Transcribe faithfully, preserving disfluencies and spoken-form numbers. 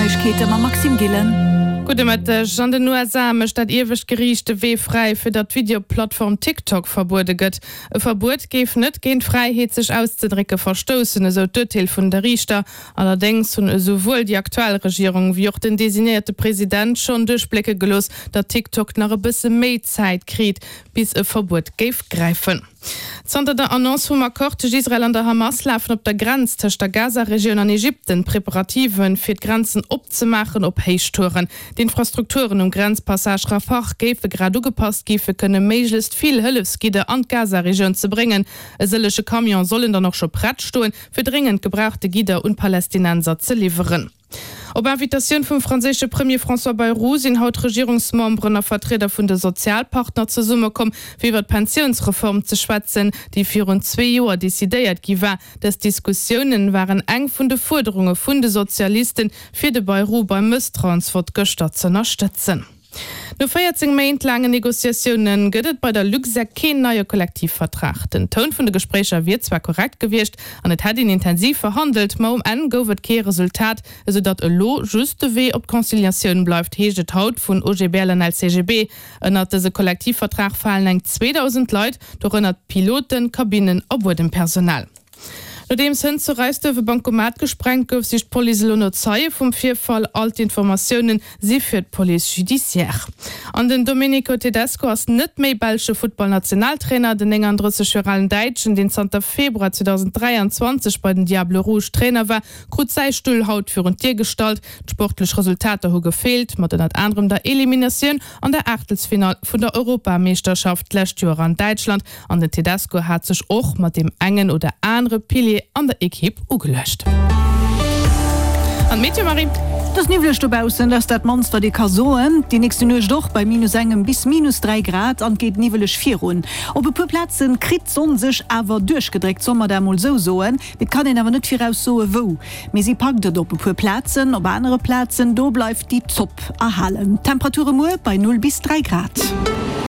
Neiegkeete mam Maxime Gillen. Gudde Mëtteg. An den U S A mécht dat iewescht Geriicht de Wee fräi, fir datt d'Videoplattform TikTok verbuede gëtt. E Verbuet géif net géint d'Fräiheet sech auszedrécke verstoussen, esou d'Urteel vun de Riichter. Allerdéngs hunn esouwuel déi aktuell Regierung wéi och den designéierte President schonn duerchblécke gelooss, datt TikTok nach e bësse méi Zäit kritt, bis e Verbuet géif gräifen. Zanter der Annonce vum Accord tëscht Israel an der Hamas lafen op der Grenz tëscht der Gaza-Regioun an Ägypten d'Preparativen, fir d'Grenzen opzemaachen, op Héichtouren. D'Infrastrukturen um Grenzpassage Rafah géife grad ugepasst gi fir kënne méiglechst vill Hëllefsgidder an d'Gaza-Regioun ze bréngen. E sëllege Camione sollen dann och scho prett stoen, fir dréngend gebrauchte Gidder un d'Palästinenser ze liwweren. Op Invitatioun vum franséische Premier François Bayrou sinn haut Regierungsmemberen a Vertrieder vun de Sozialpartner zesummekomm, fir iwwer d'Pensiounsreform ze schwätzen, déi virun zwee Joer decidéiert gi war. Dës Diskussiounen waren eng vun de Fuerderunge vun de Sozialisten, fir de Bayrou beim Mësstrauensvott gëschter z'ënnerstëtzen. No véierzéng Méint laangen Negociatioune gëtt et bei der Luxair keen neie Kollektivvertrag. Den Toun vun de Gespréicher wier zwar korrekt gewiescht an et hätt een intensiv verhandelt, ma um Enn gouf et kee Resultat, esou datt elo just de Wee op d'Conciliatioun bleift, heescht et haut vun O G B L an L C G B. Ënnert dëse Kollektivvertrag falen eng zweedausend Leit, dorënner Piloten, Kabinnen a Buedempersonal. Nodeems hënt zu Reisduerf e Bankomat gesprengt gouf, sicht d'Police elo no Zeie vum Virfall. All d'Informatioune si fir d'Police judiciaire. An den Domenico Tedesco ass net méi belsche Futtballnationaltrainer. Den nénganddrësseg Joer alen Däitschen, deen zanter Februar zweedausenddräianzwanzeg bei den Diables Rouges Trainer war, krut säi Stull haut virun d'Dier gestallt. D'sportlech Resultater hu gefeelt, mat ënnert anerem der Eliminatioun an der Aachtelsfinall vun der Europameeschterschaft d'lescht Joer an Däitschland. An den Tedesco hat sech och mat deem engen oder anere Pilier an der Ekipp ugeluecht. An d'Meteo, Marie? Et ass niwwleg dobaussen, dat ass dat mannst wat ee ka soen. Déi nächste Nuecht och bei minus engem bis minus dräi Grad an et geet niwweleg virun. Op e puer Plaze kritt d'Sonn sech awer duerchgedréckt, solle mer dat emol esou soen. Mee et kann een awer net viraus soe wou. Mee si packt et op e puer Plazen, op anere Plazen do bleift déi Zopp erhalen. Temperature muer bei null bis dräi Grad.